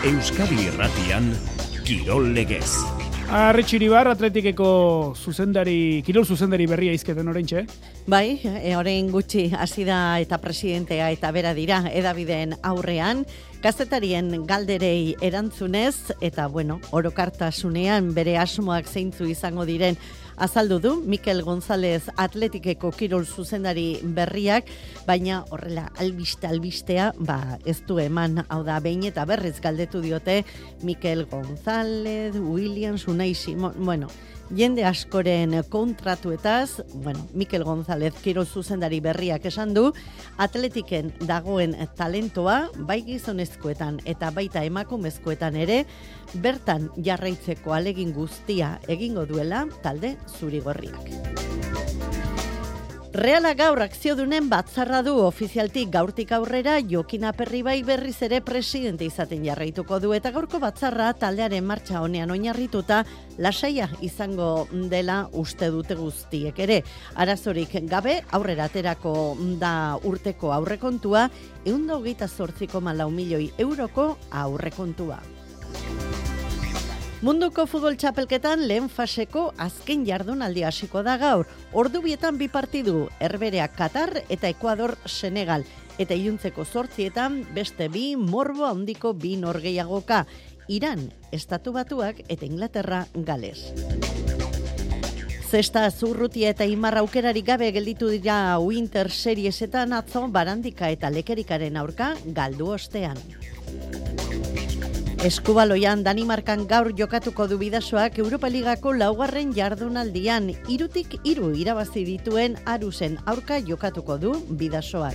Euskadi Irratian, Kirol Legez. Arretxe Iribar, Atletikeko kirol zuzendari berria izketen oraintxe. Bai, orain gutxi hasi da eta presidentea eta bera dira edabideen aurrean, kazetarien galderei erantzunez eta orokartasunean bere asmoak zeintzu izango diren azaldu du Mikel González Atletikeko kirol zuzendari berriak, baina horrela albistea ez du eman, hau da behin eta berriz galdetu diote Mikel González, Williams, Unai Simon, jende askoren kontratuetaz, Mikel González kirol zuzendari berriak esan du, Atletiken dagoen talentoa, bai gizonezkoetan eta baita emakumezkoetan ere, bertan jarraitzeko alegin guztia egingo duela talde zurigorriak. Reala gaur akziodunen batzarra du ofizialtik gaurtik aurrera Jokin Aperribai berriz ere presidente izaten jarraituko du eta gaurko batzarra taldearen martxa honean oinarrituta lasaia izango dela uste dute guztiek ere. Arazorik gabe aurrera aterako da urteko aurrekontua 128,4 milioi euroko aurrekontua. Munduko futbol txapelketan lehen faseko azken jardunaldi hasiko da gaur. Ordubietan 2 partidu, Herbereak Katar eta Ekuador Senegal. Eta iluntzeko 8etan beste 2 morbo handiko 2 norgehiagoka. Iran, Estatu Batuak eta Inglaterra Gales. Zesta Zurrutia eta Imar aukerarik gabe gelditu dira Winter Seriesetan atzo Barandika eta Lekerikaren aurka galdu ostean. Eskubaloian Danimarkan gaur jokatuko du Bidasoak Europa Ligako 4. jardunaldian 3-3 irabazi dituen Arusen aurka jokatuko du Bidasoak.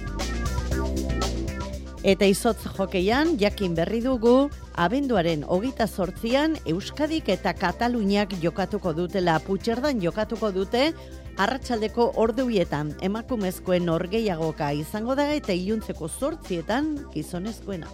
Eta izotz jokeian jakin berri dugu abenduaren 28an Euskadik eta Kataluniak jokatuko dutela. Putxerdan jokatuko dute arratsaldeko ordubietan emakumezkoen norgehiagoka izango da eta iluntzeko 8etan gizonezkoena.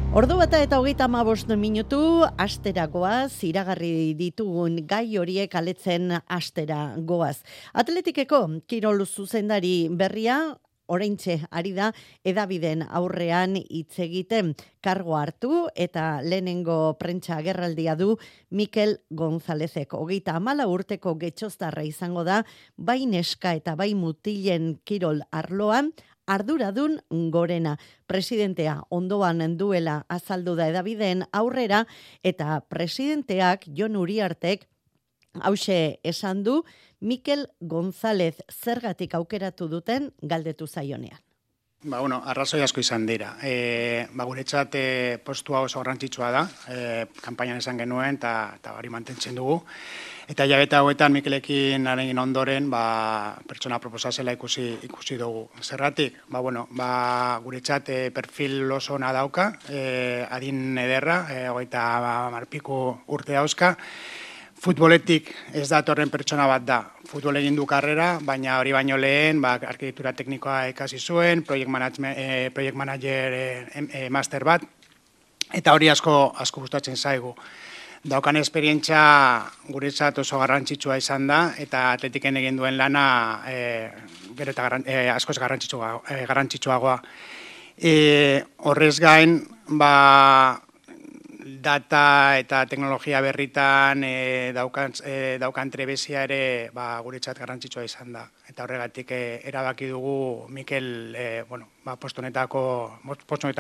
Ordu bata eta 35 minutu astera goaz, iragarri ditugun gai horiek aletzen astera goaz. Atletikeko kirol zuzendari berria oraintxe ari da edabideen aurrean hitz egiten kargo hartu eta lehenengo prentsa agerraldia du Mikel Gonzálezek. 34 urteko getxoztarra izango da bai neska eta bai mutilen kirol arloan, arduradun gorena. Presidentea ondoan duela azaldu da edabideen aurrera eta presidenteak Jon Uriartek hauxe esan du Mikel González zergatik aukeratu duten galdetu zaionean. Arrazoi asko izan dira. Guretzat postua oso garrantzitsua da, kanpainan esan genuen eta hori mantentzen dugu. Eta hilabete hauetan Mikelekin aregin ondoren pertsona proposazela ikusi dugu. Zergatik, guretzat perfil oso ona dauka, adin ederra, 30 piku urte dauzka. Futboletik ez datorren pertsona bat da. Futbol egin du karrera, baina hori baino lehen, arkitektura teknikoa ikasi zuen, project manager master bat, eta hori asko gustatzen zaigu. Daukan esperientzia guretzat oso garrantzitsua izan da, eta Atletiken egin duen lana gero eta askoz garrantzitsuagoa. Horrez gain, data eta teknologia berritan daukan trebezia ere guretzat garrantzitsua izan da. Eta horregatik erabaki dugu Mikel postu honetan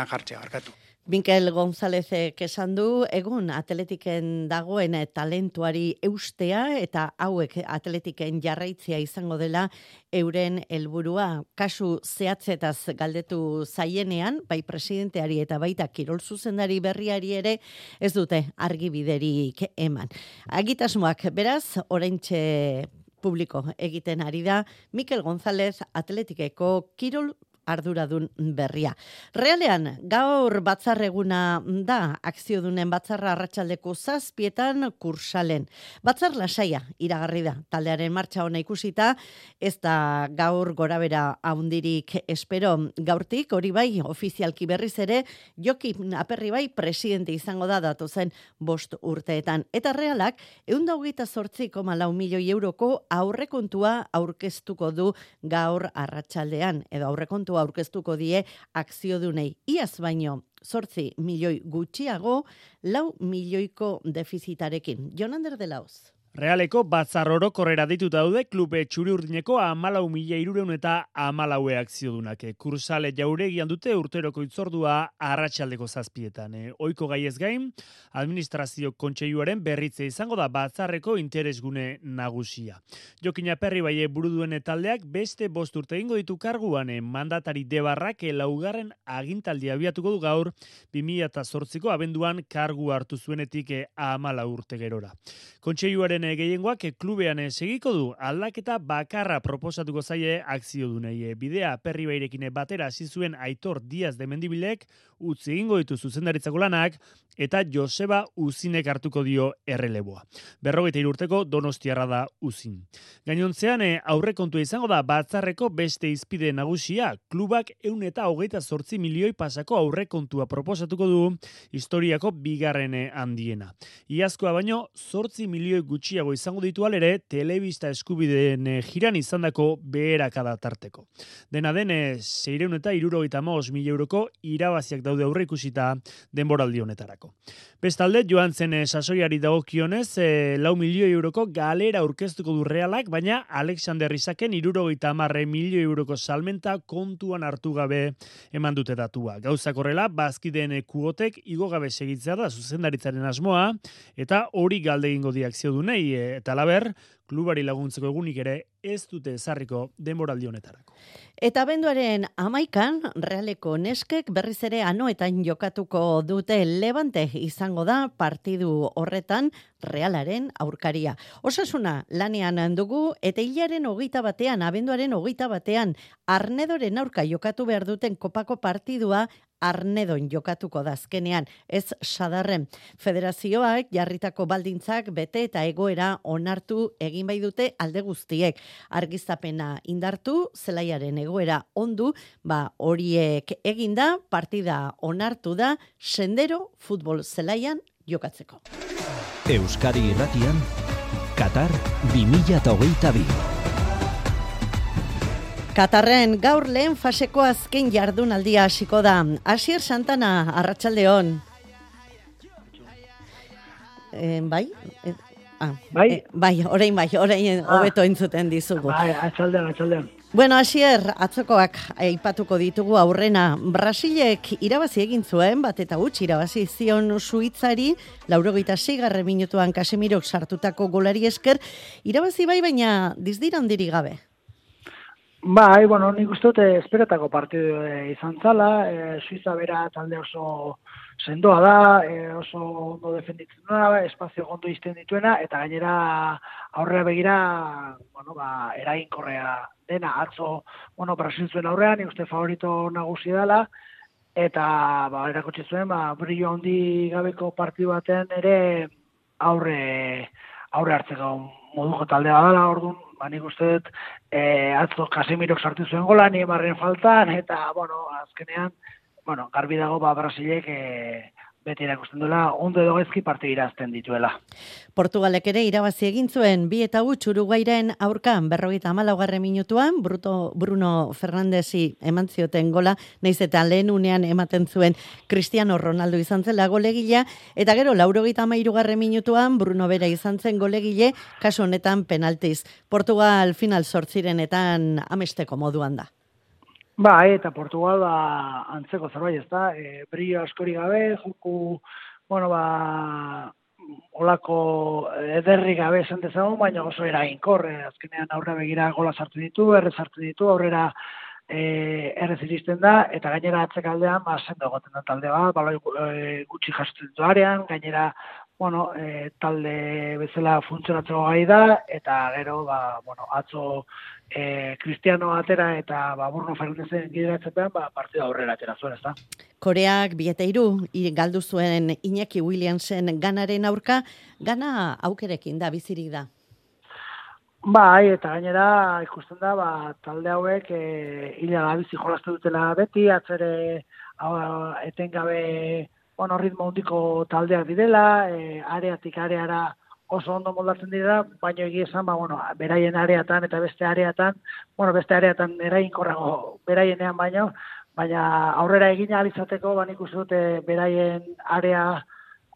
jartzea, barkatu. Mikel Gonzálezek esan du, egun Atletiken dagoen talentuari eustea eta hauek Atletiken jarraitzea izango dela euren helburua. Kasu zehatzetaz galdetu zaienean, bai presidenteari eta baita kirol zuzendari berriari ere ez dute argibiderik eman. Agitasmoak beraz, oraintxe publiko egiten ari da Mikel González Atletikeko kirol arduradun berria. Realean, gaur batzarreguna da, akziodunen batzarra arratsaldeko 7etan Kursalen. Batzar lasaia iragarri da, taldearen martxa ona ikusita, ez da gaur gorabera handirik espero gaurtik, hori bai, ofizialki berriz ere, Jokin Aperribai presidente izango da datozen 5 urteetan. Eta Realak, 128,4 milioi euroko aurrekontua aurkeztuko du gaur arratsaldean, edo aurrekontua aurkeztuko die akziodunei. Iaz baino 8 milioi gutxiago, 4 milioiko defizitarekin. Jon Ander de Laoz. Realeko batzar orokorrera deitu daude klube txuri-urdineko 14.314 eta 14 akziodunak. Kursale jauregian dute urteroko itzordua arratsaldeko 7:00. Ohiko gaiez gain, administrazio kontseiluaren berritze izango da batzarreko interesgune nagusia. Jokin Aperri Baie buru duen taldeak beste 5 urte egingo ditu karguan. Mandatari Debarrak 4. agintaldia abiatuko du gaur 2008ko abenduan kargu hartu zuenetik 14 urte gerora. Kontseiluaren gehiengoak klubean segiko du, aldaketa bakarra proposatuko zaie akziodunei. Bidea Aperri Bairekin batera hasi zuen Aitor Diaz de Mendibilek utzi egingo ditu zuzendaritzako lanak eta Joseba Uzinek hartuko dio erreleboa. 43 urteko Donostiarra da Uzin. Gainontzean aurrekontua izango da batzarreko beste izpide nagusia, klubak 128 milioi pasako aurrekontua proposatuko du historiako bigarren handiena. Iazkoa baino 8 milioi gutxiago izango ditu alere telebista eskubideen jiran izandako beherakada tarteko. Dena den 675 mila euroko irabaziak daude aurre ikusita denboraldi honetarako. Bestalde, joan zen sasoiari dagokionez 4 milioi euroko galera aurkeztuko du Realak, baina Alexander Isaken 70 milioi euroko salmenta kontuan hartu gabe eman dute datua. Gauzak horrela, bazkideen kuotek igo gabe segitzea da zuzendaritzaren asmoa, eta hori galde egingo di akziodunei, eta laber, klubari laguntzeko egunik ere ez dute ezarriko denboraldi honetarako. Eta abenduaren 11an, Realeko neskek berriz ere Anoetan jokatuko dute. Levante izango da partidu horretan Realaren aurkaria. Osasuna lanean dugu eta hilaren 21, abenduaren 21, Arnedoren aurka jokatu behar duten kopako partidua Arnedon jokatuko da azkenean, ez sadarren. Federazioak jarritako baldintzak bete eta egoera onartu egin bai dute alde guztiek. Argiztapena indartu, zelaiaren egoera ondu, horiek eginda, partida onartu da, Sendero futbol zelaian jokatzeko. Euskadi Irratian, Qatar 2022. Katarren gaur lehen faseko azken jardunaldia hasiko da. Asier Santana, arratsaldeon. Bai? Orain hobeto entzuten dizugu. Bai, atxaldean. Bueno, Asier, atzokoak aipatuko ditugu aurrena. Brasilek irabazi egin zuen, bat eta huts irabazi zion Suitzari, 86. minutuan Casemirok sartutako golari esker, irabazi bai, baina dizdira handirik gabe. Bai, nik uste dute esperetako partidu izan zala, Suiza bera talde oso sendoa da, oso ondo defenditzen duena, espazio gondo izten dituena, eta gainera aurrera begira, eraginkorrea dena, atzo, Brasil zuen aurrean, nik uste favorito nagusi dela, eta erakutsi zuen, brillo handi gabeko partidu batean ere aurre hartzeko moduko taldea dela, orduan, nik uste dut, atzo Casemirok sartu zuen gola, Neymarren faltan, eta, azkenean, garbi dago, Brasilek beti erakusten duela, ondo edo gaizki partidu irazten dituela. Portugalek ere irabazi egin zuen 2-1 Uruguairen aurkan 54. minutuan, Bruno Fernandesi eman zioten gola, naiz eta lehen unean ematen zuen Cristiano Ronaldo izan zela golegilea, eta gero 93. minutuan Bruno bera izan zen golegile, kasu honetan penaltiz. Portugal final 8etan amesteko moduan da. Bai, eta Portugal antzeko zerbait, ez da, brillo askori gabe, joku, olako ederri gabe esan dezagun, baina oso eraginkor, azkenean aurre begira gola sartu ditu, aurrera errez iristen da, eta gainera atzekaldean, sendo egoten da talde bat, gutxi jasotzen ditu arean, gainera, talde bezala funtzionatzeko gai da, eta gero, atzo Cristiano atera eta Bruno Fernandezen gideratzepean, partida aurrera atera zuen, ez da? Koreak 2-3 galdu zuen Iñaki Williamsen ganaren aurka, gana aukerekin da, bizirik da. Bai, eta gainera ikusten da, talde hauek hilaga bizi jolastu dutela beti, atzere etengabe ritmo handiko taldeak direla, areatik areara oso ondo moldatzen dira, baina egia esan, beraien areatan eta beste areatan eraginkorrago beraienean baina aurrera egin ahal izateko, nik uste dute beraien area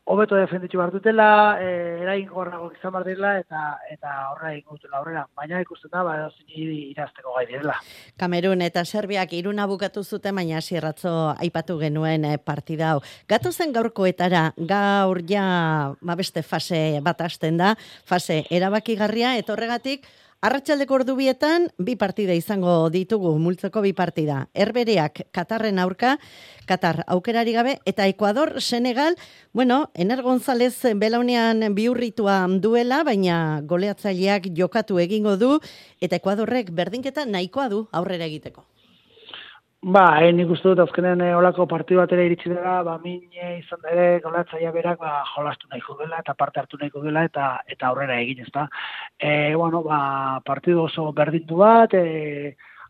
hobeto defenditu behar dutela, eraginkorrago izan behar direla, eta aurrera egin dutela aurrera. Baina ikusten da, irazteko gai direla. Kamerun eta Serbiak 1-0 bukatu zuten, baina hasierratzo aipatu genuen partida hau. Gatozen gaurkoetara, gaur ja beste fase bat hasten da, fase erabakigarria, eta horregatik, arratsaldeko ordubietan 2 partida izango ditugu, multzoko 2 partida. Herbereak Katarren aurka, Katar aukerari gabe, eta Ekuador, Senegal, Ener González belaunean bihurritua duela, baina goleatzaileak jokatu egingo du, eta Ekuadorrek berdinketa nahikoa du aurrera egiteko. Nik uste dut azkenean olako partidu batera iritsi dela, mine izan ere goleatzailea berak jolastu nahiko dela eta parte hartu nahiko dela eta aurrera egin, ezta. Partidu oso berdindu bat,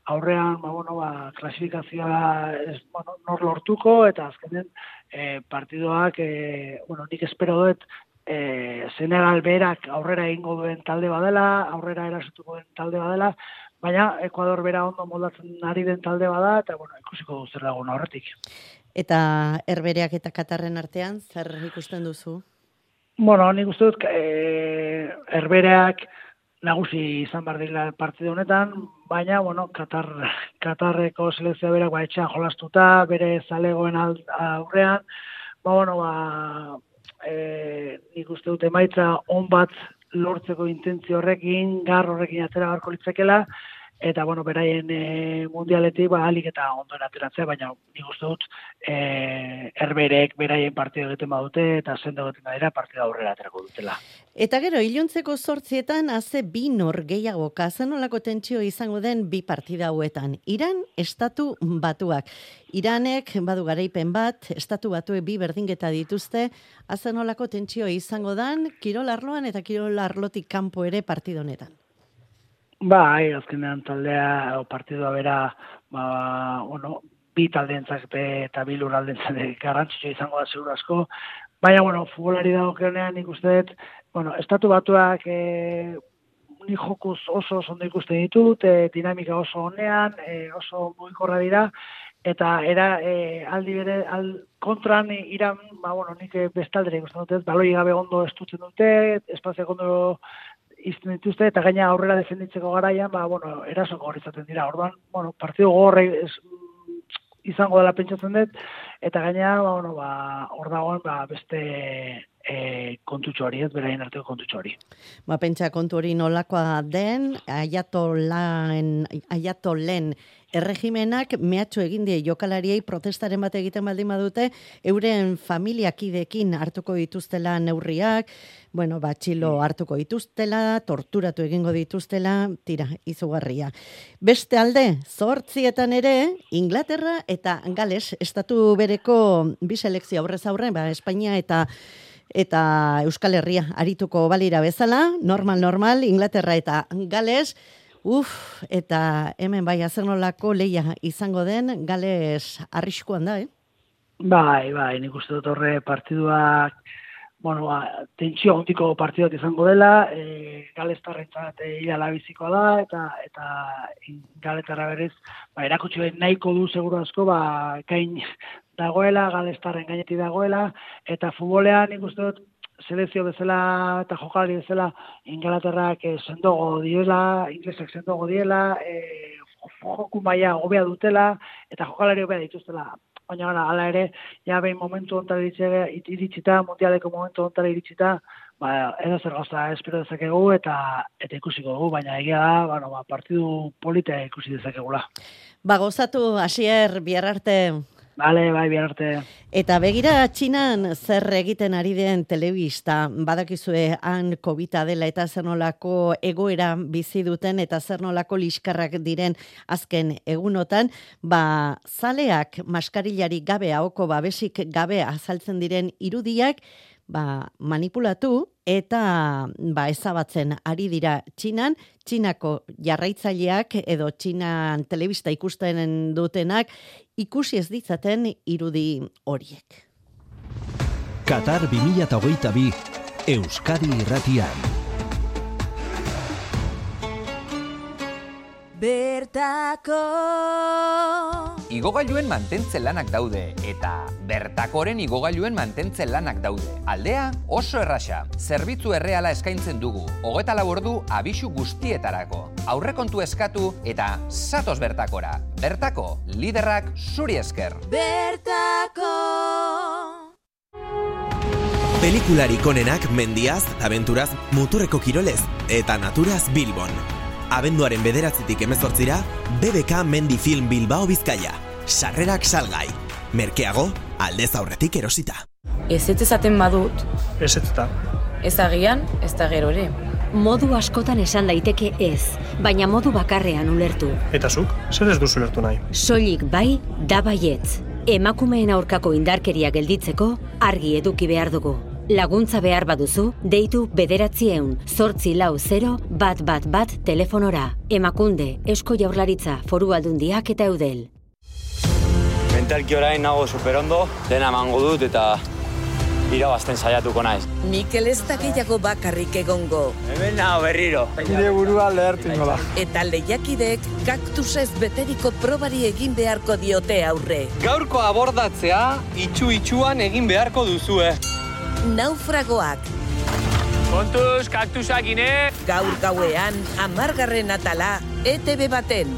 aurrean klasifikazioa nor lortuko eta azkenean partiduak nik espero dut Senegal berak aurrera egingo duen talde badela, aurrera erasutuko duen talde badela, baina Ekuador bera ondo moldatzen ari den talde bada, eta ikusiko du zer dagoen aurretik. Eta Herbereak eta Katarren artean, zer ikusten duzu? Nik uste dut Herbereak nagusi izan behar dira partidu honetan, baina, Katarreko selekzioa berak etxean jolastuta, bere zalegoen aurrean, nik uste dut emaitza on bat lortzeko intentzio horrekin, gar horrekin atera beharko litzakela, eta, beraien mundialetik ahalik eta ondoen ateratzea, baina nik uste dut Herberek beraien partidu egiten badute, eta sendo egiten badira partida aurrera aterako dutela. Eta gero, iluntzeko 8etan haze 2 nor gehiago, zenolako tentsio izango den 2 partida hauetan. Iran, Estatu Batuak. Iranek badu garaipen bat, Estatu Batuek 2 berdinketa dituzte, zenolako tentsio izango den, kirol arloan eta kirol arlotik kanpo ere partida honetan. Azkenean taldea, partidua bera, 2 taldeentzak eta 2 lurraldeentzak garrantzitsua izango da seguru asko, baina, futbolari dagokionean nik uste dut, Estatu Batuak nik jokuz oso ondo ikusten ditut, dinamika oso honean, oso mugikorra dira, eta aldi bere, kontran Iran, nik bestaldera ikusten dut, baloi gabe ondo estutzen dute, espazioak ondo izten dituzte, eta gaina aurrera defenditzeko garaian, eraso gogor izaten dira. Orduan, partidu gogorra izango dela pentsatzen dut, eta gaina, hor dagoen beste kontutxo hori, beraien arteko kontutxo hori. Pentsa kontu hori nolakoa den, Ayatolen erregimenak mehatxu egin die jokalariei protestaren bat egiten baldin badute, euren familiakidekin hartuko dituztela neurriak, txilo hartuko dituztela, torturatu egingo dituztela, izugarria. Beste alde, 8etan ere, Inglaterra eta Gales, estatu bereko 2 selekzio aurrez aurre, Espainia eta Euskal Herria arituko balira bezala, normal, Inglaterra eta Gales, eta hemen zer nolako lehia izango den, Gales arriskuan da, nik uste dut horre partiduak, tentsio handiko partiduak izango dela, Galestarrentzat ialabizikoa da, eta Galetarra berriz, erakutsi nahiko du seguru asko, gain dagoela, Galestarren gainetik dagoela, eta futbolean nik uste dut, selekzio bezala eta jokalari bezala Ingalaterrak sendogo diela, inglesak sendogo diela, joku maila hobea dutela eta jokalari hobea dituztela. Baina hala ere, behin momentu honetan iritsita, mundialeko momentu honetan iritsita, edo zer gauza espero dezakegu eta ikusiko dugu, baina egia da, partidu politea ikusi dezakegula. Gozatu, Asier, bihar arte. Bale, bihar arte. Eta begira Txinan zer egiten ari den telebista, badakizue han COVID-a dela eta zer nolako egoera bizi duten eta zer nolako liskarrak diren azken egunotan, zaleak maskarillari gabe, ahoko babesik gabe azaltzen diren irudiak, manipulatu eta ezabatzen ari dira Txinan, Txinako jarraitzaileak edo Txinan telebista ikusten dutenak ikusi ez ditzaten irudi horiek. Qatar 2022 Euskadi Irratian. Bertako Igogailuen mantentze lanak daude eta Bertakoren igogailuen mantentze lanak daude. Aldea oso erraxa. Zerbitzu erreala eskaintzen dugu. 24 ordu abisu guztietarako. Aurrekontu eskatu eta zatoz Bertakora. Bertako, liderrak zuri esker. Bertako Pelikularik onenak mendiaz, abenturaz, muturreko kirolez eta naturaz Bilbon. Abenduaren 9-tik 18ra, BBK Mendi Film Bilbao Bizkaia. Sarrerak salgai. Merkeago, aldez aurretik erosita. Ez ezaten badut. Ez eta. Ez agian, ez da gero ere. Modu askotan esan daiteke ez, baina modu bakarrean ulertu. Eta zuk, zer ez duzu ulertu nahi? Soilik bai, da baietz. Emakumeen aurkako indarkeria gelditzeko, argi eduki behar dugu. Laguntza behar baduzu, deitu 940-111 telefonora. Emakunde, Eusko Jaurlaritza, Foru Aldundiak eta Eudel. Mentalki orain nago superondo, dena emango dut eta irabazten saiatuko naiz. Mikel ez da gehiago bakarrik egongo. Hemen nago berriro. Nire burua lehertu ingo da. Eta lehiakidek kaktusez beteriko probari egin beharko diote aurre. Gaurko abordatzea itxu-itxuan egin beharko duzue. Naufragoak. Kontuz, kaktusak ine! Gaur gauean, 10. atala, ETV baten.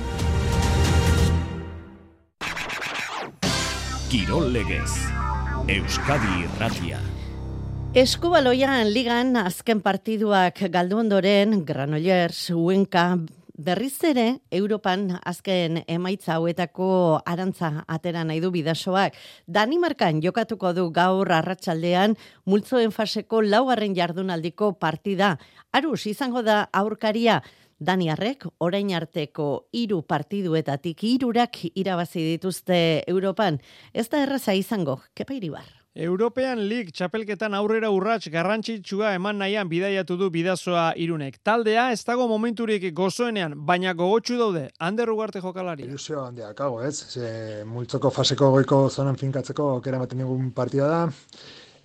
Kirol legez. Euskadi Irratia. Eskubaloian ligan azken partiduak galdu ondoren, Granollers, Huenka, berriz ere, Europan azken emaitza hauetako arantza atera nahi du Bidasoak. Danimarkan jokatuko du gaur arratsaldean multzoen faseko 4. jardunaldiko partida. Arus izango da aurkaria. Daniarrek orain arteko 3 partiduetatik 3 irabazi dituzte Europan. Ez da erraza izango, Kepa Iribar. European League txapelketan aurrera urrats garrantzitsua eman nahian bidaiatu du Bidasoa Irunek. Taldea ez dago momenturik gozoenean, baina gogotsu daude. Ander Ugarte jokalari. Ilusio handiak hago, ez? Multzoko faseko goiko zonan finkatzeko aukera ematen digun partida da.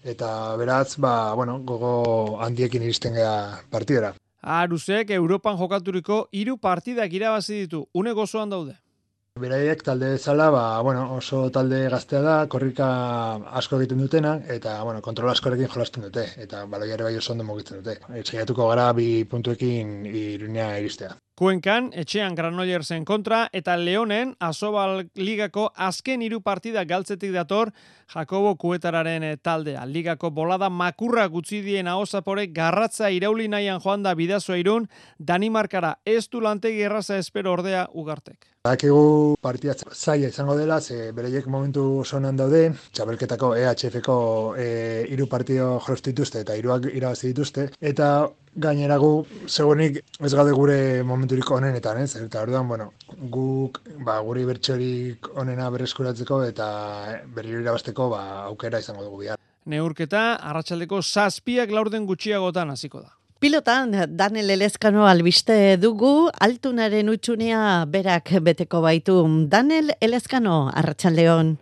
Eta beraz, gogo handiekin iristen gara partidera. Arusek Europan jokaturiko 3 partidak irabazi ditu. Une gozoan daude. Beraiek talde bezala, oso talde gaztea da, korrika asko egiten dutena, eta kontrol askorekin jolasten dute, eta baloiare bai oso ondo mugitzen dute. Saiatuko gara 2 puntuekin Irunea iristea. Kuenkan, etxean Granollersen kontra, eta Leonen, Asobal Ligako azken 3 partidak galtzetik dator, Jakobo Kuetararen taldea. Ligako bolada makurra gutzi dien Ahosapore garratza irauli nahian joan da Bidasoa Irun, Danimarkara ez du lantegi erraza espero ordea Ugartek. Badakigu partida zaila izango dela, bereiek momentu oso onan daude, txapelketako EHF-ko 3 partido jolostu dituzte eta 3 irabazi dituzte, eta gainera gu segurenik ez gaude gure momenturik onenetan, ez? Eta orduan, guk guri bertsorik onena berreskuratzeko eta berriro irabazteko aukera izango dugu bihar. Neurketa arratsaldeko 7 laurden gutxiagotan hasiko da. Pilotan, Daniel Elezkano albiste dugu, altunaren utxunea berak beteko baitu. Daniel Elezkano, arratsaldeon.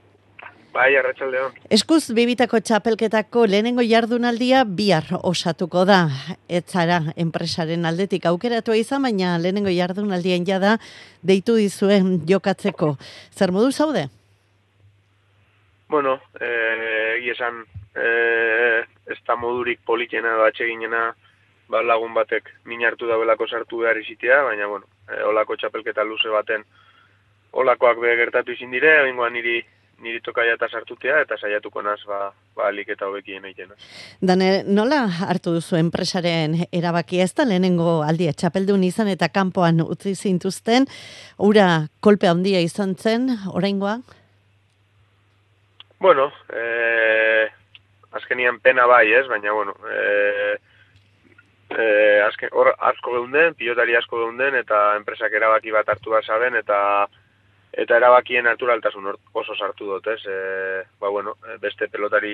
Bai, arratsaldeon. Eskuz bibitako txapelketako lehenengo jardunaldia bihar osatuko da. Ez zara enpresaren aldetik aukeratua izan, baina lehenengo jardunaldien jada deitu dizuen jokatzeko. Zer modu zaude? Bueno, esan ez da modurik politena da atseginena, lagun batek min hartu dauelako sartu behar izitea, baina, olako txapelketa luze baten olakoak gertatu izin dire, bengoan niri tokaia eta sartutea, eta saiatuko naz, alik eta hobekien egiten. Dane, nola hartu duzu enpresaren erabakia ez da lehenengo aldia txapeldun izan eta kanpoan utzi zintuzten, ura kolpe handia izan zen, oraingoa? Bueno, azkenian pena bai, ez, baina, hor asko geunden, pilotari asko geunden, eta enpresak erabaki bat hartu da saben, eta erabakien naturaltasun oso sartu dut, ez? Beste pelotari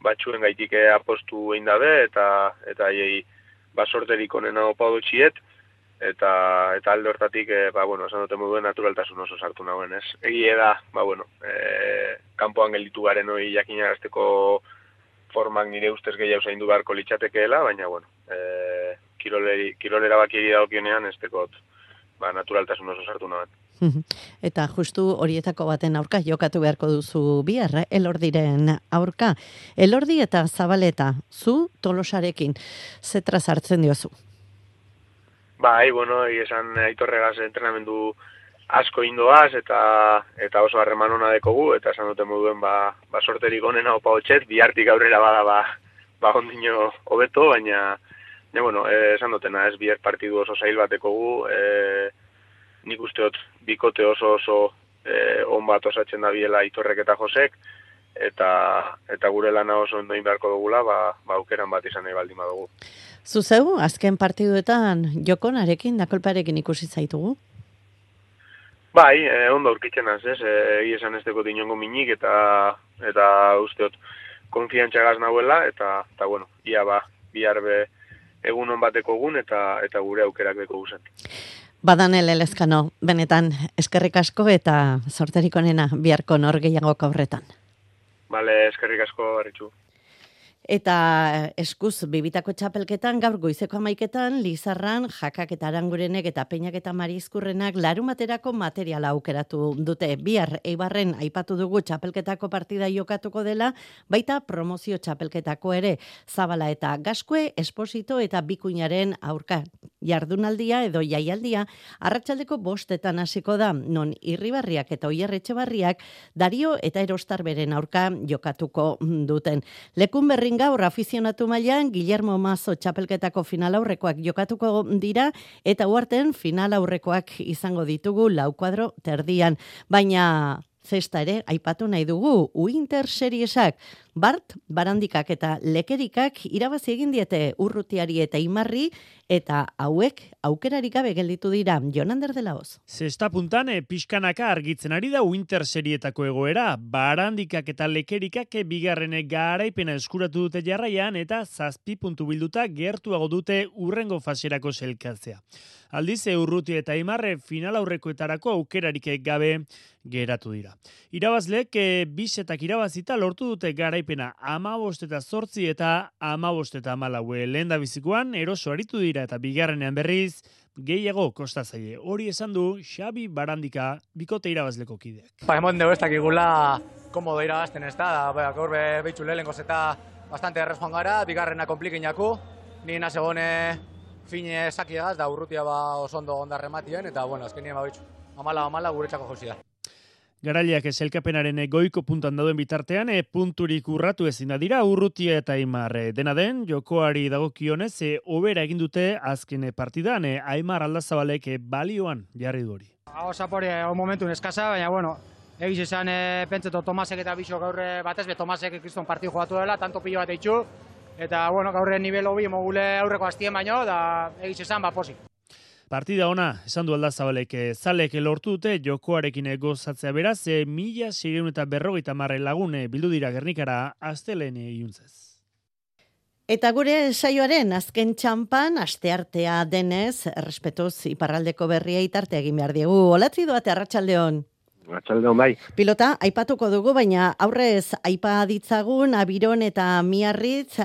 batxuen gaitik apostu egin dabe, eta haiei sorterik onena opa dutxiet, eta alde hortatik, esan dute moduen naturaltasun oso sartu nagoen, ez? Egie da, kanpoan gelditu garen hori jakinarazteko formak nire ustez gehiago zaindu beharko litzatekeela, baina, bueno, kirolera bakiegi dagokionean ez tekot, naturaltasun oso sartu nahan. Eta justu horietako baten aurka jokatu beharko duzu bihar, Elordiren aurka. Elordi eta Zabaleta, zu Tolosarekin, zetra sartzen diozu? Bai, bueno, esan Aitorregaz entrenamendu asko indoaz eta oso harreman ona dekogu, eta esan duten moduen sorterik onena opa hotxet, bihartik aurrera bada ondino hobeto, baina bueno, esan dutena, ez bihar partidu oso zail bat dekogu, nik usteot bikote oso on bat osatzen da biela Aitorrek eta Josek, eta gure lana oso ondoin beharko dugula, aukeran bat izan nahi baldin badugu. Zuzeu, azken partiduetan Jokonarekin, Dakolparekin ikusi zaitugu? Bai, ondo aurkitzen az, ez? Esan ez dekot inongo minik eta usteot konfiantzagaz nahuela, eta bueno, ia bihar egun on bateko egun eta gure aukerak deko guzen. Badanel Elezkano, benetan eskerrik asko eta sorterik onena biharko nor gehiagok aurretan. Bale, eskerrik asko, Arritxu. Eta eskuz bibitako txapelketan gaur goizeko 11etan Lizarran Jakak eta Arangurenek eta Peñak eta Marizkurrenak larumaterako materiala aukeratu dute. Bihar Eibarren aipatu dugu txapelketako partida jokatuko dela, baita promozio txapelketako ere. Zabala eta Gaskue, Esposito eta Bikuñaren aurka jardunaldia edo jaialdia arratsaldeko 5etan hasiko da, non Irribarriak eta Oier Etxebarriak Dario eta Erostarberen aurka jokatuko duten. Lekun berrin gaur afizionatu mailan Guillermo Mazo txapelketako final aurrekoak jokatuko dira eta uarten final aurrekoak izango ditugu 4 kuadro terdian. Baina zesta ere aipatu nahi dugu Winter Seriesak Bart, Barandikak eta Lekerikak irabazi egin diete Urrutiari eta Imarri eta hauek aukerarik gabe gelditu dira. Jonander de la Hoz. Zesta puntan pixkanaka argitzen ari da Winter Serietako egoera. Barandikak eta Lekerikak bigarrenek garaipena eskuratu dute jarraian eta 7 puntu bilduta gertuago dute urrengo faserako selkatzea. Aldiz, Urruti eta Imarre final aurrekoetarako aukerarik gabe geratu dira. Irabazlek bisetak irabazita lortu dute garaipena 15 eta 8 eta 15 eta 14. Lehendabizikoan eroso aritu dira eta bigarrenean berriz gehiago kosta zaie. Hori esan du Xabi Barandika bikote irabazleko kideak. Emoten dugu ez dakigula komodo irabazten ez da, gaur behitxu lehenkoz eta bastante errez joan gara, bigarrena konplikinaku, ni nasegone fine sakiagaz da Urrutia oso ondo ondarrematien, eta bueno, azkenien behitxu. Amala guretzako jauzi da. Garaileak selkapenaren goiko puntan dauden bitartean, punturik urratu ezin da dira Urrutia eta Aimar. Dena den, jokoari dagokionez, hobera egin dute azken partidan, Aimar Aldazabalek balioan jarri du hori. Hau zapori, momentun eskasa, baina bueno, egiz esan pentseto Tomasek eta Bixo gaur batez, Tomasek kriston partiu jogatu dela, tanto pilo bat eitxu, eta bueno, gaur nivel hobi mogule aurreko hastien baino, da egiz esan pozik. Partida ona, esan du Aldazabalek, zalek lortu dute jokoarekin gozatzea beraz, 1650 lagun bildu dira Gernikara astelen iluntzez. Eta gure saioaren azken txampan, asteartea denez, errespetuz iparraldeko berria itarte egin behar diegu. Olatzi doate, arratsaldeon. Arratsaldeon bai. Pilota, aipatuko dugu, baina aurrez aipa ditzagun, Abiron eta Miarritz,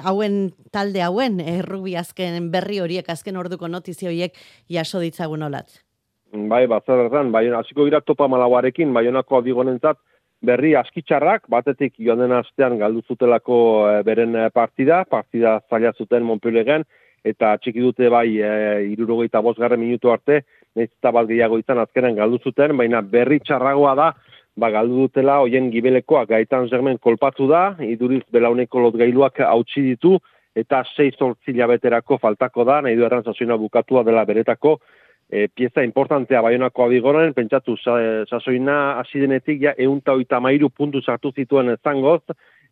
talde hauen, errubi azken berri horiek, azken orduko notizio horiek jaso ditzagun olatz. Bai, batzerretan, hasiko gira Topa Malauarekin, Baionako Abigonentzat berri askitxarrak, batetik joan den astean galdu zutelako beren partida zaila zuten Montpellieren, eta txiki dute bai 75. minutu arte, nahiz eta bat gehiago izan azkenen galdu zuten, baina berri txarragoa da, galdu dutela hoien gibelekoak Gaitan Germen kolpatu da, iduriz belauneko lotgailuak hautsi ditu, eta 6-8 hilabeterako faltako da, nahi du errantzazoina bukatua dela beretako, pieza importantea Baionako Abigonen, pentsatu sasoina hasi denetik ja 133 puntu sartu zituen zangoz,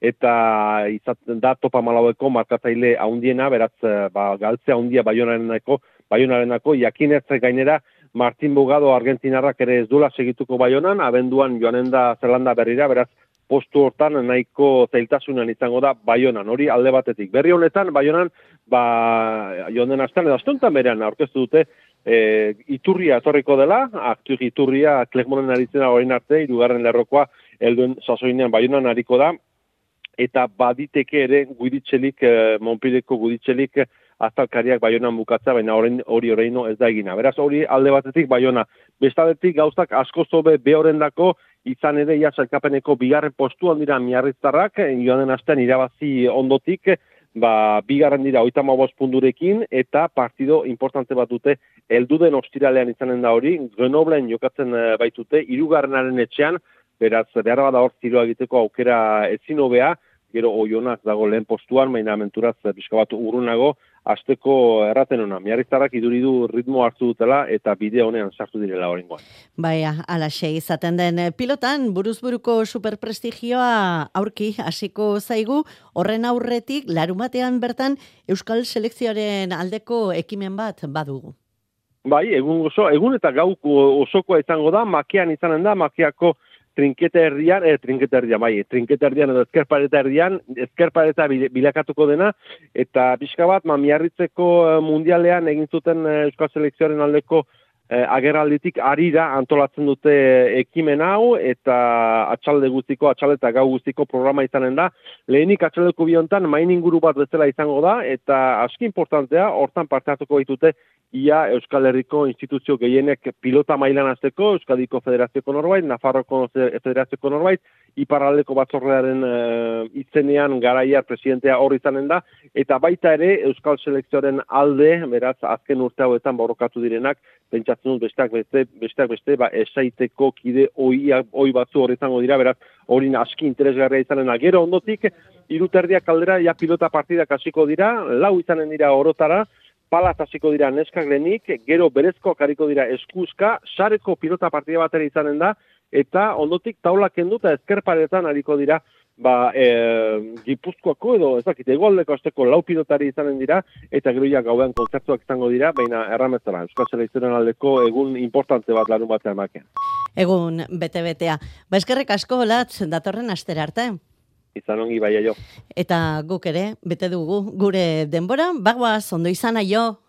eta izaten da Topa Malaueko markatzaile handiena, beraz galtzea handia Baionarenako, jakinez gainera Martin Bugado Argentinarrak ere ez duela segituko Baionan, abenduan joanen da Zelanda berrira, beraz postu hortan nahiko zailtasunan izango da Baionan, hori alde batetik. Berri honetan Baionan joan den astean edo astuntan berean aurkeztu dute Iturria etorriko dela, aktu Iturria Klegmonen aritzena orain arte, 3. lerrokoa helduen sasoinean Baionan ariko da, eta baditeke ere Guditzelik, Montpellierko Guditzelik azalkariak Baionan bukatza, baina hori oraino ez da egina. Beraz, hori alde batetik Baiona. Bestaldetik gauzak asko zobe behorendako, izan ere ia sailkapeneko bigarren postuan dira miarritzarrak, joan den astean irabazi ondotik, bigarren dira 35 punturekin, eta partido importante bat dute, helduden ostiralean izanen da hori, Grenoblen jokatzen baitute, 3. etxean, beraz, behar bada hor tiroa egiteko aukera ezin hobea, gero Oionak dago lehen postuan, baina menturaz pixka bat urrunago, asteko erraten ona. Miarritzarrak iduridu ritmo hartu dutela eta bide honean sartu direla oraingoan. Baia, alaxe izaten den pilotan, buruzburuko superprestigioa aurki hasiko zaigu, horren aurretik, larumatean bertan Euskal Selekzioaren aldeko ekimen bat badugu. Bai, egun eta gau osokoa izango da, Makean izanen da, Makeako trinketa erdian edo ezkerpareta bilakatuko dena, eta pixka bat, Miarritzeko mundialean egin zuten Euskal Selekzioaren aldeko agerralditik arira antolatzen dute ekimen hau, eta atxalde eta gau guztiko programa izanen da. Lehenik atxaldeko biontan main inguru bat bezala izango da, eta aski importantea, hortan parte hartuko ditute ia Euskal Herriko instituzio gehienek pilota mailan hasteko, Euskadiko Federazioko norbait, Nafarroko Federazioko norbait, Iparraldeko batzordearen izenean garaiar presidentea hor izanen da, eta baita ere Euskal Selekzioaren alde, beraz, azken urte hauetan borrokatu direnak, pentsatzen dut besteak beste, esaiteko kide oi batzu hor izango dira, beraz, hori aski interesgarria izanen da. Gero ondotik, 3:30 aldera, ja pilota partidak hasiko dira, 4 izanen dira orotara, palaz hasiko dira neskak lehenik, gero berezkoak hariko dira eskuzka, sareko pilota partida batera izanen da, eta ondotik taula kendu eta ezkerparetan hariko dira, Gipuzkoako edo, egoaldeko asteko 4 pilotari izanen dira, eta gero ja gauean kontzertuak izango dira, baina erramezara, Euskal Selekzioaren aldeko egun importante bat larun batean makean. Egun bete-betea. Eskerrik asko, Latz, datorren astera arte. Izan ongi, bai, aio. Eta guk ere, bete dugu gure denbora, bagoaz, ondo izan aio.